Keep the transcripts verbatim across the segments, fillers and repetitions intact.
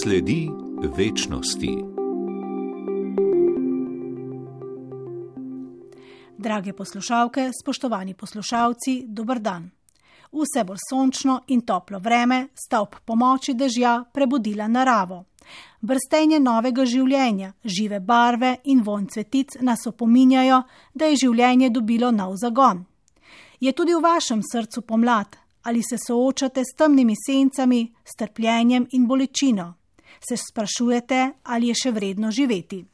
Sledi večnosti. Drage poslušalke, spoštovani poslušalci, dober dan. Vse bolj sončno in toplo vreme sta ob pomoči dežja prebudila naravo. Brstenje novega življenja, žive barve in vonj cvetic nas opominjajo, da je življenje dobilo nov zagon. Je tudi v vašem srcu pomlad? Ali se soočate s temnimi sencami, s trpljenjem in bolečino? Se sprašujete, ali je še vredno živeti?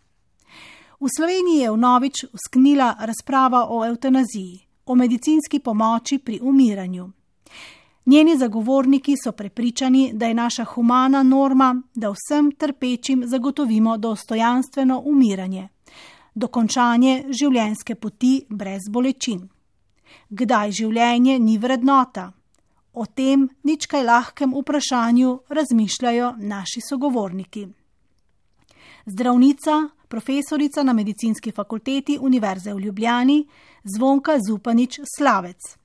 V Sloveniji je vnovič usknila razprava o evtanaziji, o medicinski pomoči pri umiranju. Njeni zagovorniki so prepričani, da je naša humana norma, da vsem trpečim zagotovimo dostojanstveno umiranje, dokončanje življenjske poti brez bolečin. Kdaj življenje ni vrednota? O tem nič kaj lahkem vprašanju razmišljajo naši sogovorniki. Zdravnica, profesorica na Medicinski fakulteti Univerze v Ljubljani, Zvonka Zupanič Slavec.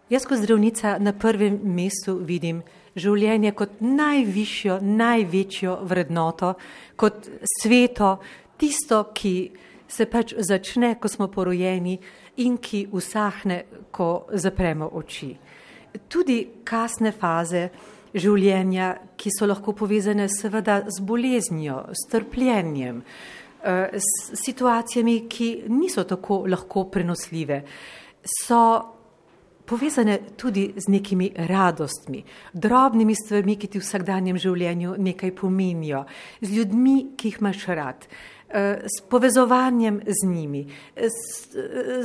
Jaz kot zdravnica na prvem mestu vidim življenje kot najvišjo, največjo vrednoto, kot sveto, tisto, ki se pač začne, ko smo porojeni in ki usahne, ko zapremo oči. Tudi kasne faze življenja, ki so lahko povezane seveda z boleznijo, s trpljenjem, s situacijami, ki niso tako lahko prenosljive, so povezane tudi z nekimi radostmi, drobnimi stvarmi, ki ti v vsakdanjem življenju nekaj pomenijo, z ljudmi, ki jih imaš rad, s povezovanjem z njimi, s,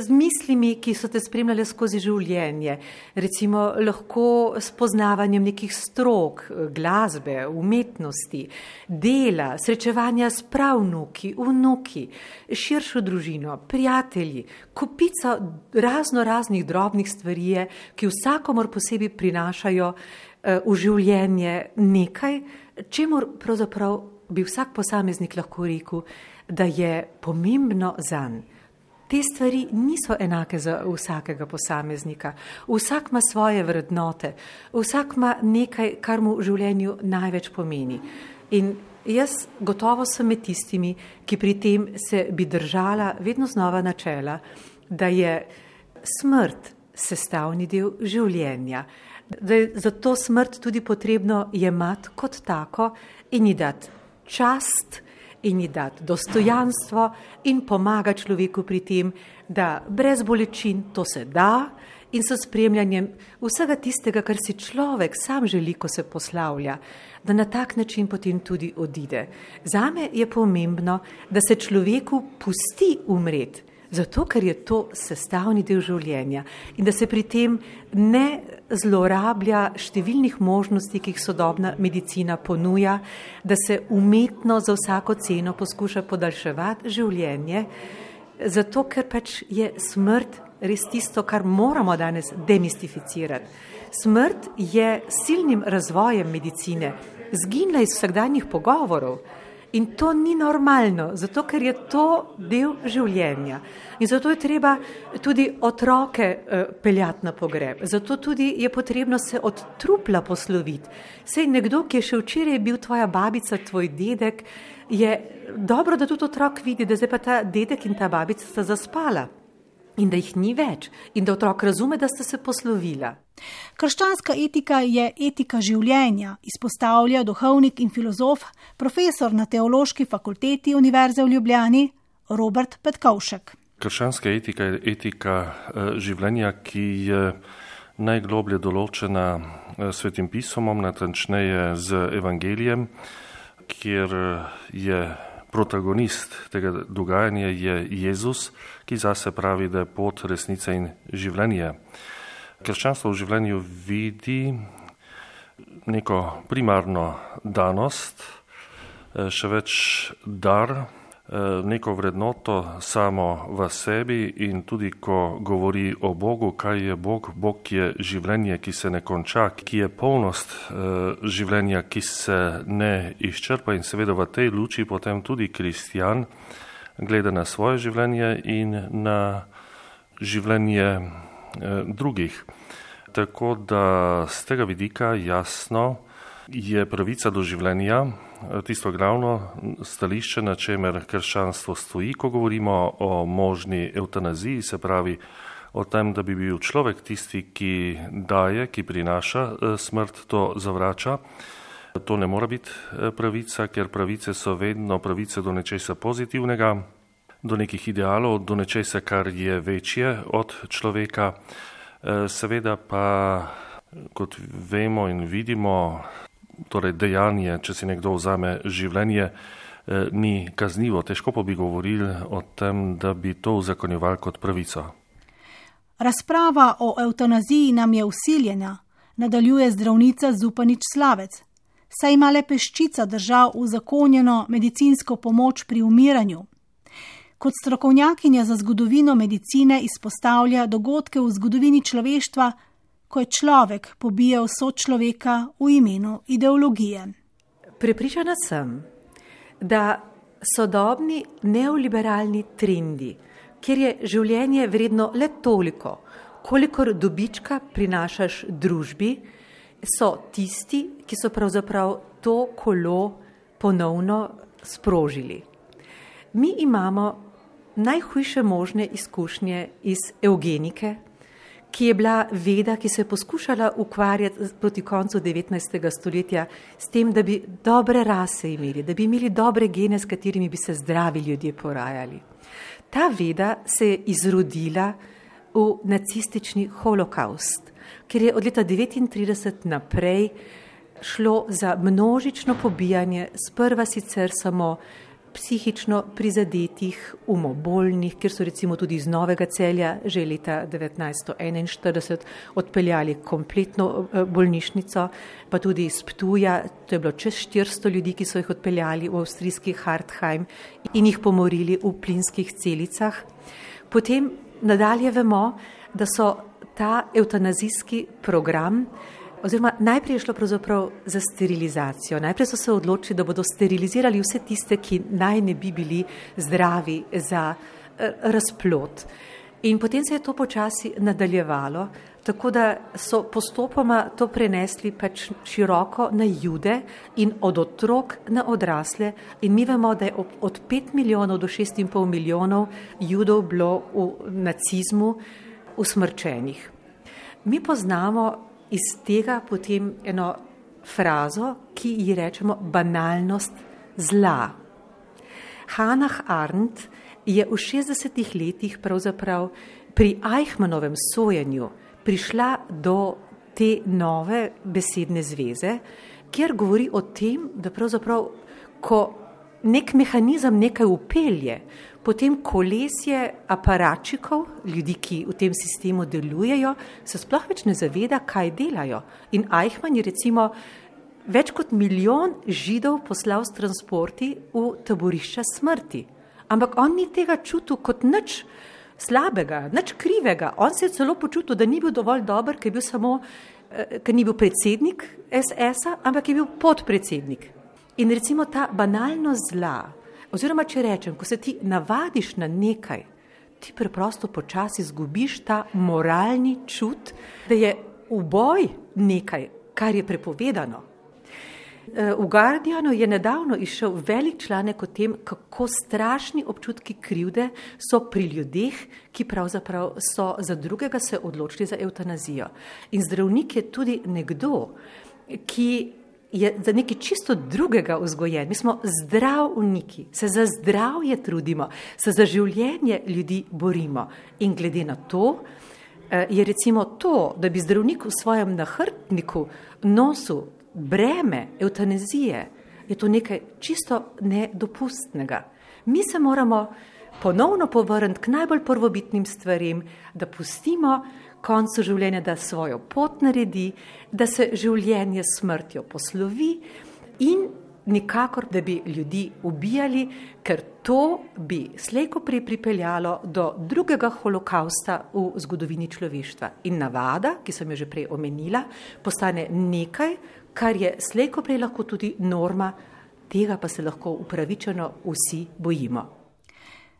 z mislimi, ki so te spremljale skozi življenje, recimo lahko s poznavanjem nekih strok, glasbe, umetnosti, dela, srečevanja s pravnuki, vnuki, širšo družino, prijatelji, kupica razno raznih drobnih stvari, ki vsakomor posebej prinašajo v življenje nekaj, čemur pravzaprav bi vsak posameznik lahko rekel, da je pomembno zanj. Te stvari niso enake za vsakega posameznika. Vsak ima svoje vrednote, vsak ima nekaj, kar mu v življenju največ pomeni. In jaz gotovo sem med tistimi, ki pri tem se bi držala vedno znova načela, da je smrt sestavni del življenja, da je zato smrt tudi potrebno jemati kot tako in ji dati čast in ji dati dostojanstvo in pomaga človeku pri tem, da brez bolečin to se da in s spremljanjem vsega tistega, kar si človek sam želi, ko se poslavlja, da na tak način potem tudi odide. Zame je pomembno, da se človeku pusti umreti, zato ker je to sestavni del življenja in da se pri tem ne zlorablja številnih možnosti, ki jih sodobna medicina ponuja, da se umetno za vsako ceno poskuša podaljševati življenje, zato ker pač je smrt res tisto, kar moramo danes demistificirati. Smrt je silnim razvojem medicine zginila iz vsakdanjih pogovorov. In to ni normalno, zato ker je to del življenja. In zato je treba tudi otroke eh, peljati na pogreb. Zato tudi je potrebno se od trupla posloviti. Sej nekdo, ki je še včeraj bil tvoja babica, tvoj dedek, je dobro, da tudi otrok vidi, da zdaj pa ta dedek in ta babica sta zaspala. In da jih ni več. In da otrok razume, da sta se poslovila. Krščanska etika je etika življenja, izpostavlja duhovnik in filozof, profesor na Teološki fakulteti Univerze v Ljubljani, Robert Petkovšek. Krščanska etika je etika življenja, ki je najgloblje določena Svetim pismom, natančneje z Evangelijem, kjer je protagonist tega dogajanja je Jezus, ki zase pravi, da je pot, resnica in življenje. Krščanstvo v življenju vidi neko primarno danost, še več dar, neko vrednoto samo v sebi in tudi, ko govori o Bogu, kaj je Bog. Bog je življenje, ki se ne konča, ki je polnost življenja, ki se ne izčrpa in seveda v tej luči potem tudi kristjan gleda na svoje življenje in na življenje drugih. Tako da z tega vidika jasno je pravica do življenja tisto glavno stališče, na čemer krščanstvo stoji, ko govorimo o možni evtanaziji, se pravi o tem, da bi bil človek tisti, ki daje, ki prinaša smrt, to zavrača. To ne mora biti pravica, ker pravice so vedno pravice do nečesa pozitivnega, do nekih idealov, do nečesa, kar je večje od človeka. Seveda pa, kot vemo in vidimo, torej dejanje, če si nekdo vzame življenje, ni kaznivo. Težko pa bi govorili o tem, da bi to uzakonjevali kot pravico. Razprava o evtanaziji nam je vsiljena, nadaljuje zdravnica Zupanič Slavec. Saj ima le peščica držav uzakonjeno medicinsko pomoč pri umiranju. Kot strokovnjakinja za zgodovino medicine izpostavlja dogodke v zgodovini človeštva, ko je človek pobijal sočloveka v imenu ideologije. Prepričana sem, da sodobni neoliberalni trendi, kjer je življenje vredno le toliko, kolikor dobička prinašaš družbi, so tisti, ki so pravzaprav to kolo ponovno sprožili. Mi imamo najhujše možne izkušnje iz evgenike, ki je bila veda, ki se je poskušala ukvarjati proti koncu devetnajstega stoletja s tem, da bi dobre rase imeli, da bi imeli dobre gene, s katerimi bi se zdravi ljudje porajali. Ta veda se je izrodila v nacistični holokaust, ker je od leta devetintrideset naprej šlo za množično pobijanje, sprva sicer samo psihično prizadetih, umobolnih, kjer so recimo tudi iz Novega Celja že leta devetnajststo enainštirideset odpeljali kompletno bolnišnico, pa tudi iz Ptuja, to je bilo čez štiristo ljudi, ki so jih odpeljali v avstrijski Hartheim in jih pomorili v plinskih celicah. Potem nadalje vemo, da so ta evtanazijski program, oziroma najprej je šlo pravzaprav za sterilizacijo. Najprej so se odločili, da bodo sterilizirali vse tiste, ki naj ne bi bili zdravi za razplod. In potem se je to počasi nadaljevalo, tako da so postopoma to prenesli pač široko na Jude in od otrok na odrasle. In mi vemo, da je od pet milijonov do šest in pol milijonov Judov bilo v nacizmu usmrčenih. Mi poznamo iz tega potem eno frazo, ki ji rečemo banalnost zla. Hannah Arendt je v šestdesetih letih pravzaprav pri Eichmannovem sojenju prišla do te nove besedne zveze, kjer govori o tem, da pravzaprav, ko nek mehanizem nekaj upelje, potem kolesje aparačikov, ljudi, ki v tem sistemu delujejo, se sploh več ne zaveda, kaj delajo. In Eichmann je recimo več kot milijon Židov poslal s transporti v taborišča smrti. Ampak on ni tega čutil kot nič slabega, nič krivega. On se je celo počutil, da ni bil dovolj dober, ker je bil samo, ker ni bil predsednik es es-a, ampak je bil podpredsednik. In recimo ta banalnost zla, oziroma če rečem, ko se ti navadiš na nekaj, ti preprosto počasi izgubiš ta moralni čut, da je uboj nekaj, kar je prepovedano. V Guardianu je nedavno izšel velik članek o tem, kako strašni občutki krivde so pri ljudeh, ki pravzaprav so za drugega se odločili za evtanazijo. In zdravnik je tudi nekdo, ki je za nekaj čisto drugega vzgojen. Mi smo zdravniki, se za zdravje trudimo, se za življenje ljudi borimo. In glede na to je recimo to, da bi zdravnik v svojem nahrbtniku nosil breme evtanazije, je to nekaj čisto nedopustnega. Mi se moramo ponovno povrniti k najbolj prvobitnim stvarem, da pustimo koncu življenja, da svojo pot naredi, da se življenje s smrtjo poslovi in nikakor, da bi ljudi ubijali, ker to bi slejko prej pripeljalo do drugega holokausta v zgodovini človeštva. In navada, ki sem jo že prej omenila, postane nekaj, kar je slejko prej lahko tudi norma, tega pa se lahko upravičeno vsi bojimo.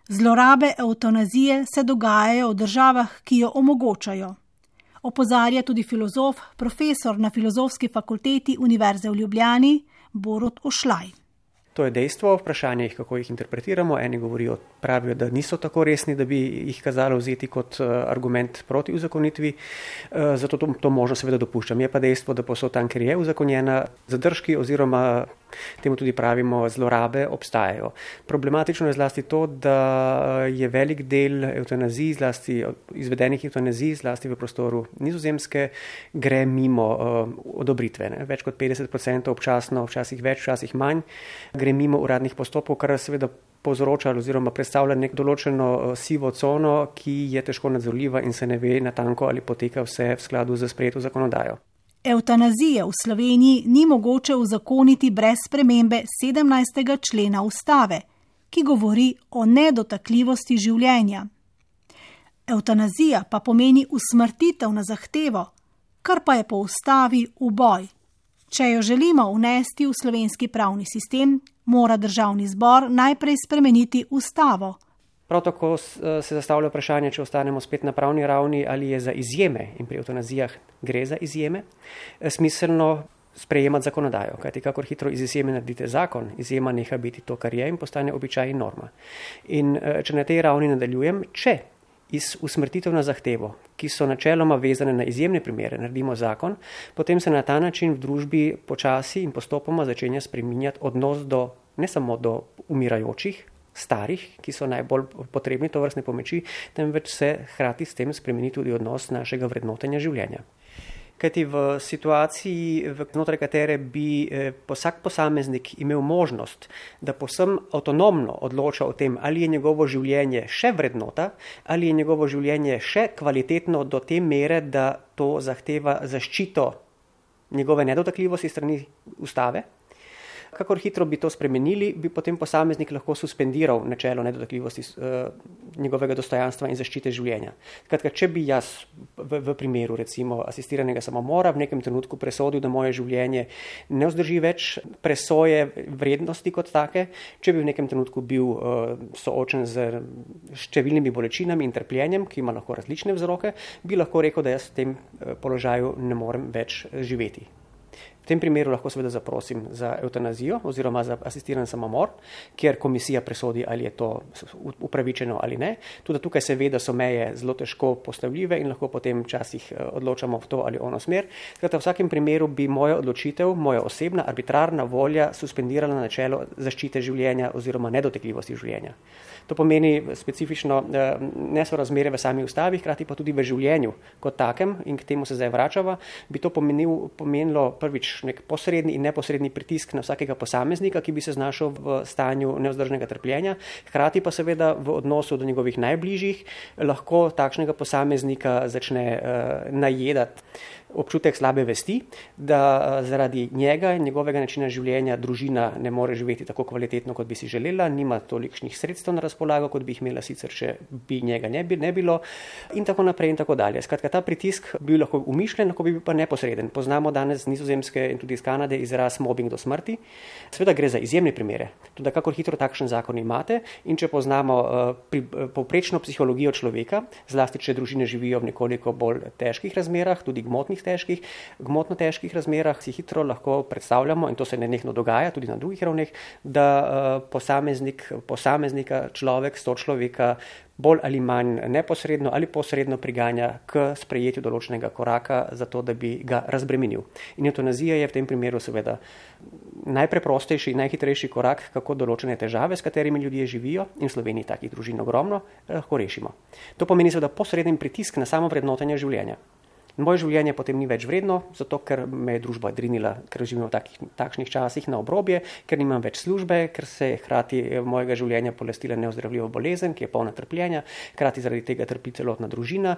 Zlorabe evtanazije se dogajajo v državah, ki jo omogočajo. Opozarja tudi filozof, profesor na Filozofski fakulteti Univerze v Ljubljani, Borut Ošlaj. To je dejstvo, vprašanje jih, kako jih interpretiramo. Eni govorijo, pravijo, da niso tako resni, da bi jih kazalo vzeti kot argument proti uzakonitvi, zato to, to možno seveda dopuščam. Je pa dejstvo, da posod tam, kjer je uzakonjena, zadržki oziroma temu tudi pravimo zlorabe obstajajo. Problematično je zlasti to, da je velik del evtanazij, zlasti izvedenih evtanazij, zlasti v prostoru Nizozemske, gre mimo uh, odobritve. Ne? Več kot petdeset odstotkov občasno, včasih več, včasih manj, gre mimo uradnih postopkov, kar seveda povzroča oziroma predstavlja nek določeno uh, sivo cono, ki je težko nadzorljiva in se ne ve natanko, ali poteka vse v skladu z sprejeto zakonodajo. Evtanazije v Sloveniji ni mogoče uzakoniti brez spremembe sedemnajstega člena ustave, ki govori o nedotakljivosti življenja. Evtanazija pa pomeni usmrtitev na zahtevo, kar pa je po ustavi uboj. Če jo želimo vnesti v slovenski pravni sistem, mora državni zbor najprej spremeniti ustavo. Prav tako se zastavlja vprašanje, če ostanemo spet na pravni ravni, ali je za izjeme, in pri evtanazijah gre za izjeme, smiselno sprejemati zakonodajo. Kajti kakor hitro iz izjeme naredite zakon, izjema neha biti to, kar je in postane običaj in norma. In če na tej ravni nadaljujem, če iz usmrtitev na zahtevo, ki so načeloma vezane na izjemne primere, naredimo zakon, potem se na ta način v družbi počasi in postopoma začenja spreminjati odnos do, ne samo do umirajočih, starih, ki so najbolj potrebni tovrstne pomoči, temveč se hkrati s tem spremeni tudi odnos našega vrednotenja življenja. Kajti v situaciji, znotraj katere bi vsak posameznik imel možnost, da povsem avtonomno odloča o tem, ali je njegovo življenje še vrednota, ali je njegovo življenje še kvalitetno do te mere, da to zahteva zaščito njegove nedotakljivosti strani ustave. Kakor hitro bi to spremenili, bi potem posameznik lahko suspendiral načelo nedotakljivosti uh, njegovega dostojanstva in zaščite življenja. Skratka, če bi jaz v, v primeru recimo asistiranega samomora v nekem trenutku presodil, da moje življenje ne vzdrži več presoje vrednosti kot take, če bi v nekem trenutku bil uh, soočen z številnimi bolečinami in trpljenjem, ki ima lahko različne vzroke, bi lahko rekel, da jaz v tem uh, položaju ne morem več živeti. V tem primeru lahko seveda zaprosim za evtanazijo oziroma za asistiran samomor, kjer komisija presodi, ali je to upravičeno ali ne. Tudi tukaj seveda so meje zelo težko postavljive in lahko potem včasih odločamo v to ali ono smer. Skratka, v vsakem primeru bi moja odločitev, moja osebna, arbitrarna volja suspendirala načelo zaščite življenja oziroma nedotakljivosti življenja. To pomeni specifično nesorazmerje v sami ustavi, hkrati pa tudi v življenju kot takem, in k temu se zdaj vračava, bi to pomenil, pomenilo prvič nek posredni in neposredni pritisk na vsakega posameznika, ki bi se znašel v stanju nevzdržnega trpljenja, hkrati pa seveda v odnosu do njegovih najbližjih lahko takšnega posameznika začne uh, najedati občutek slabe vesti, da zaradi njega in njegovega načina življenja družina ne more živeti tako kvalitetno, kot bi si želela, nima tolikšnih sredstev na razpolago, kot bi jih imela sicer, če bi njega ne, bi, ne bilo, in tako naprej in tako dalje. Skratka, ta pritisk bi lahko umišljen, lahko bi bil pa neposreden. Poznamo danes z Nizozemske in tudi iz Kanade izraz mobbing do smrti. Seveda gre za izjemne primere. Tudi kakor hitro takšen zakon imate, in če poznamo uh, pri, uh, povprečno psihologijo človeka, zlasti če družine živijo v nekoliko bolj težkih razmerah, tudi gmotnih težkih, gmotno težkih razmerah, si hitro lahko predstavljamo, in to se nenehno dogaja tudi na drugih ravneh, da uh, posameznik, posameznika, človek, sto človeka bolj ali manj neposredno ali posredno priganja k sprejetju določenega koraka za to, da bi ga razbremenil. In evtanazija je v tem primeru seveda najpreprostejši in najhitrejši korak, kako določene težave, s katerimi ljudje živijo, in v Sloveniji takih družin ogromno, lahko rešimo. To pomeni seveda posreden pritisk na samo vrednotenje življenja. Moje življenje potem ni več vredno, zato ker me je družba drinila, ker živimo v takih, takšnih časih na obrobje, ker nimam več službe, ker se je hkrati mojega življenja polestila neozdravljiva bolezen, ki je polna trpljenja, hkrati zaradi tega trpi celotna družina.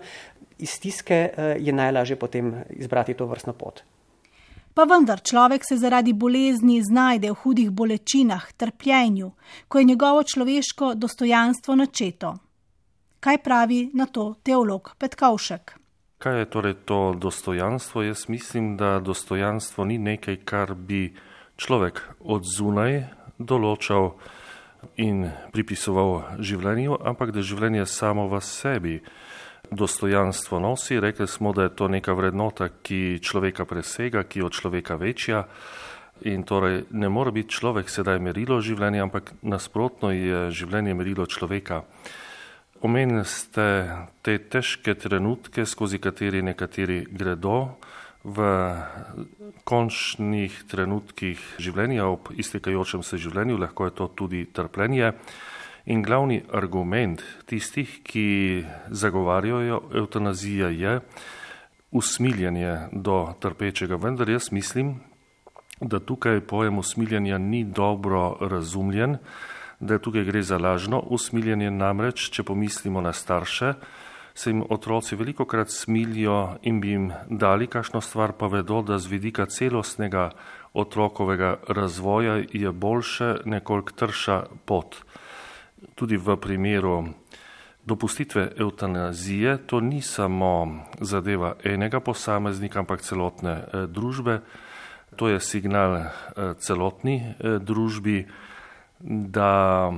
Iz stiske je najlažje potem izbrati to vrstno pot. Pa vendar človek se zaradi bolezni znajde v hudih bolečinah, trpljenju, ko je njegovo človeško dostojanstvo načeto. Kaj pravi na to teolog Petkovšek? Kaj je torej to dostojanstvo? Jaz mislim, da dostojanstvo ni nekaj, kar bi človek od zunaj določal in pripisoval življenju, ampak da življenje samo v sebi dostojanstvo nosi. Rekli smo, da je to neka vrednota, ki človeka presega, ki je od človeka večja. In torej ne more biti človek sedaj merilo življenja, ampak nasprotno je življenje merilo človeka. Omenili ste te težke trenutke, skozi kateri nekateri gredo v končnih trenutkih življenja, ob iztekajočem se življenju, lahko je to tudi trpljenje. In glavni argument tistih, ki zagovarjajo evtanazijo, je usmiljenje do trpečega. Vendar jaz mislim, da tukaj pojem usmiljenja ni dobro razumljen, da tukaj gre za lažno usmiljenje, namreč, če pomislimo na starše, se jim otroci velikokrat smilijo in bi jim dali kakšno stvar, pa vedo, da z vidika celostnega otrokovega razvoja je boljše nekoliko trša pot. Tudi v primeru dopustitve evtanazije, to ni samo zadeva enega posameznika, ampak celotne eh, družbe. To je signal eh, celotni eh, družbi, da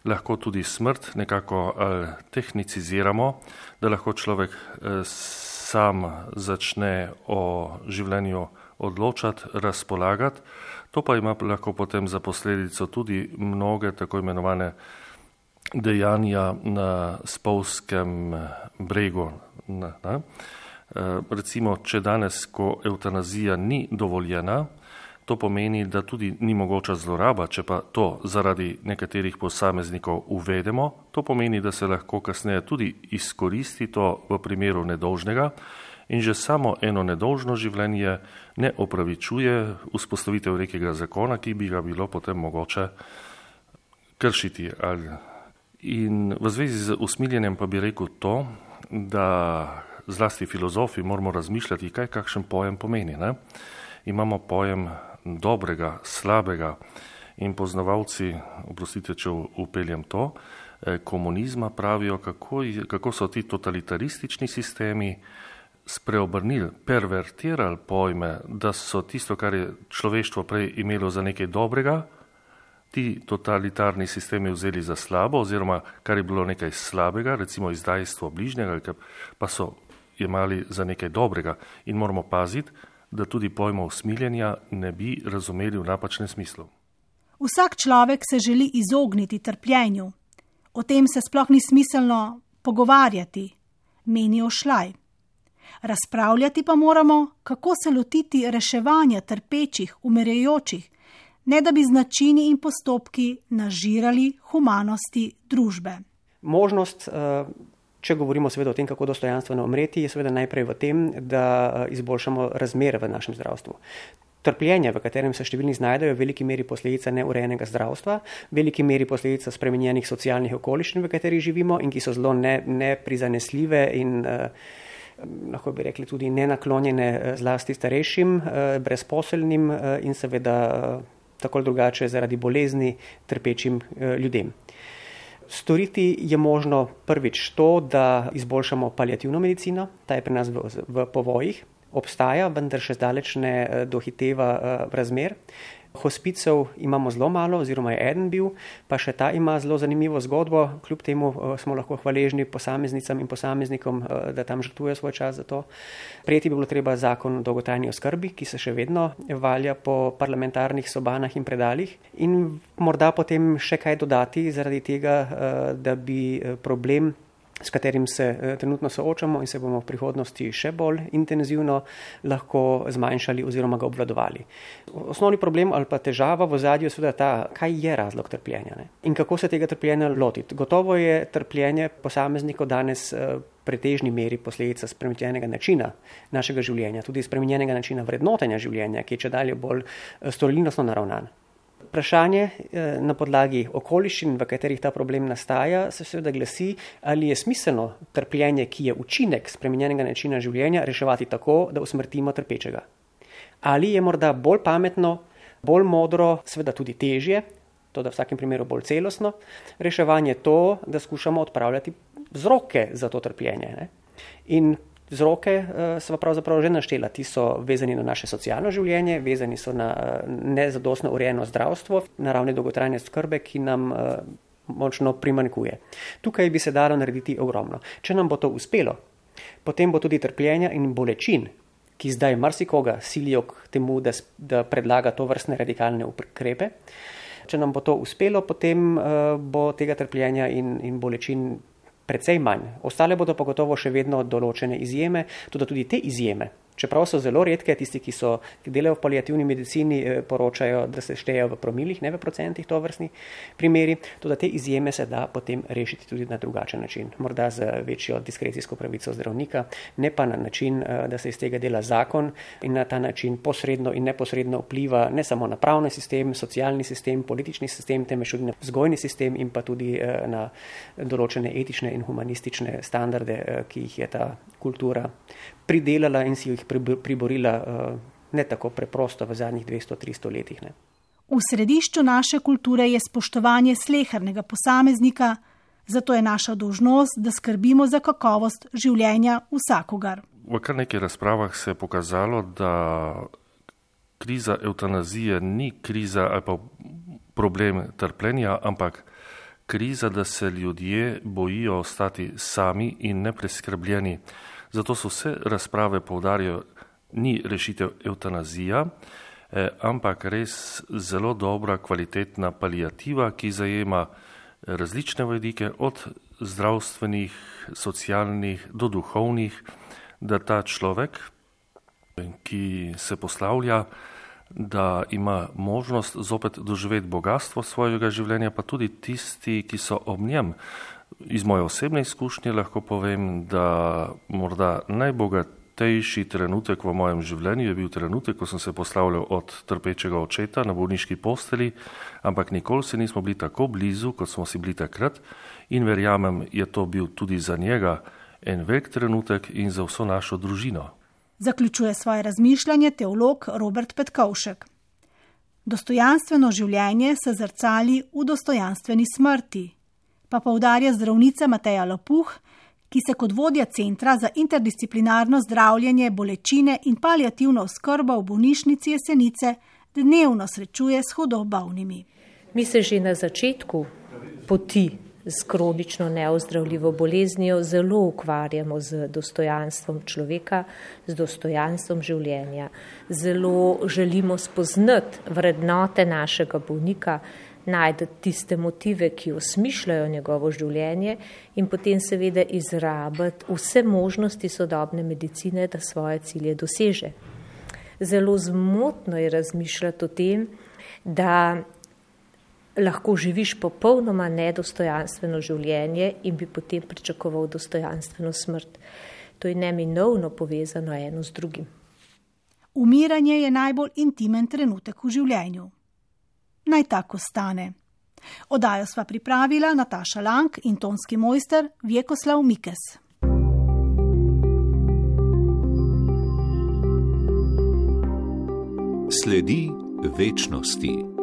lahko tudi smrt nekako eh, tehniciziramo, da lahko človek eh, sam začne o življenju odločati, razpolagati. To pa ima lahko potem za posledico tudi mnoge tako imenovane dejanja na spolzkem bregu. Na, na. E, recimo, če danes, ko evtanazija ni dovoljena, to pomeni, da tudi ni mogoča zloraba, če pa to zaradi nekaterih posameznikov uvedemo, to pomeni, da se lahko kasneje tudi izkoristi to v primeru nedolžnega. In že samo eno nedolžno življenje ne opravičuje vzpostavitev nekega zakona, ki bi ga bilo potem mogoče kršiti. In v zvezi z usmiljenjem pa bi rekel to, da zlasti filozofi moramo razmišljati, kaj kakšen pojem pomeni. Ne? Imamo pojem dobrega, slabega in poznavalci, oprostite, če upeljem to, komunizma pravijo, kako, kako so ti totalitaristični sistemi spreobrnili, pervertirali pojme, da so tisto, kar je človeštvo prej imelo za nekaj dobrega, ti totalitarni sistemi vzeli za slabo, oziroma kar je bilo nekaj slabega, recimo izdajstvo bližnjega, pa so jemali za nekaj dobrega. In moramo paziti, da tudi pojma usmiljenja ne bi razumeli v napačnem smislu. Vsak človek se želi izogniti trpljenju. O tem se sploh ni smiselno pogovarjati, menijo Šlaj. Razpravljati pa moramo, kako se lotiti reševanja trpečih, umirajočih, ne da bi z načini in postopki nažirali humanosti družbe. Možnost, če govorimo seveda o tem, kako dostojanstveno umreti, je seveda najprej v tem, da izboljšamo razmere v našem zdravstvu. Trpljenje, v katerem se številni znajdejo, je v veliki meri posledica neurejenega zdravstva, v veliki meri posledica spremenjenih socialnih okoliščin, v katerih živimo in ki so zelo ne, neprizanesljive in lahko bi rekli tudi nenaklonjene zlasti starejšim, brezposelnim in seveda tako drugače zaradi bolezni trpečim ljudem. Storiti je možno prvič to, da izboljšamo paliativno medicino, ta je pri nas v, v povojih, obstaja, vendar še zdaleč ne dohiteva razmer. Hospicev imamo zelo malo, oziroma je eden bil, pa še ta ima zelo zanimivo zgodbo, kljub temu smo lahko hvaležni posameznicam in posameznikom, da tam žrtvujejo svoj čas za to. Prejeti bi bilo treba zakon o dolgotrajni oskrbi, ki se še vedno valja po parlamentarnih sobanah in predalih in morda potem še kaj dodati zaradi tega, da bi problem, s katerim se trenutno soočamo in se bomo v prihodnosti še bolj intenzivno lahko zmanjšali oziroma ga obvladovali. Osnovni problem ali pa težava v ozadju je seveda ta, kaj je razlog trpljenja, ne? In kako se tega trpljenja lotiti. Gotovo je trpljenje posameznikov danes pretežni meri posledica spremenjenega načina našega življenja, tudi spremenjenega načina vrednotenja življenja, ki je čedalje bolj storilnostno naravnan. Vprašanje na podlagi okoliščin, v katerih ta problem nastaja, se seveda glasi, ali je smiselno trpljenje, ki je učinek spremenjenega načina življenja, reševati tako, da usmrtimo trpečega. Ali je morda bolj pametno, bolj modro, seveda tudi težje, to da v vsakem primeru bolj celostno, reševanje to, da skušamo odpravljati vzroke za to trpljenje. Ne? In vzroke sva pravzaprav že naštela, ti so vezani na naše socialno življenje, vezani so na nezadostno urejeno zdravstvo, na ravni dolgotrajne oskrbe, ki nam močno primanjkuje. Tukaj bi se dalo narediti ogromno. Če nam bo to uspelo, potem bo tudi trpljenja in bolečin, ki zdaj marsikoga silijo k temu, da, da predlaga to vrstne radikalne ukrepe. Če nam bo to uspelo, potem uh, bo tega trpljenja in, in bolečin precej manj. Ostale bodo pa gotovo še vedno določene izjeme, tudi tudi te izjeme, čeprav so zelo redke, tisti, ki, so, ki delajo v paliativni medicini, poročajo, da se štejejo v promilih, ne v procentih tovrstni primeri, tudi te izjeme se da potem rešiti tudi na drugačen način. Morda z večjo diskrecijsko pravico zdravnika, ne pa na način, da se iz tega dela zakon in na ta način posredno in neposredno vpliva ne samo na pravni sistem, socialni sistem, politični sistem, temveč tudi na vzgojni sistem in pa tudi na določene etične in humanistične standarde, ki jih je ta kultura pridelala in si jih priborila ne tako preprosto v zadnjih dvesto do tristo letih. Ne. V središču naše kulture je spoštovanje slehernega posameznika, zato je naša dolžnost, da skrbimo za kakovost življenja vsakogar. V kar nekaj razpravah se je pokazalo, da kriza evtanazije ni kriza ali pa problem trpljenja, ampak kriza, da se ljudje bojijo ostati sami in nepreskrbljeni. Zato so vse razprave poudarjajo, ni rešitev evtanazija, eh, ampak res zelo dobra, kvalitetna paliativa, ki zajema različne vidike, od zdravstvenih, socialnih do duhovnih, da ta človek, ki se poslavlja, da ima možnost zopet doživeti bogatstvo svojega življenja, pa tudi tisti, ki so ob njem. Iz moje osebne izkušnje lahko povem, da morda najbogatejši trenutek v mojem življenju je bil trenutek, ko sem se poslavljal od trpečega očeta na bolniški posteli, ampak nikoli se nismo bili tako blizu, kot smo si bili takrat, in verjamem, je to bil tudi za njega en velik trenutek in za vso našo družino. Zaključuje svoje razmišljanje teolog Robert Petkovšek. Dostojanstveno življenje se zrcali v dostojanstveni smrti, pa poudarja zdravnica Mateja Lapuh, ki se kot vodja Centra za interdisciplinarno zdravljenje bolečine in paliativno oskrbo v bolnišnici Jesenice dnevno srečuje s hudo bolnimi. Mi se že na začetku poti s kronično neozdravljivo boleznijo zelo ukvarjamo z dostojanstvom človeka, z dostojanstvom življenja. Zelo želimo spoznati vrednote našega bolnika, najti tiste motive, ki osmišljajo njegovo življenje in potem seveda izrabiti vse možnosti sodobne medicine, da svoje cilje doseže. Zelo zmotno je razmišljati o tem, da lahko živiš popolnoma nedostojanstveno življenje in bi potem pričakoval dostojanstveno smrt. To je neminovno povezano eno z drugim. Umiranje je najbolj intimen trenutek v življenju. Naj tako stane. Oddajo sva pripravila Nataša Lang in tonski mojster Vjekoslav Mikes. Sledi večnosti.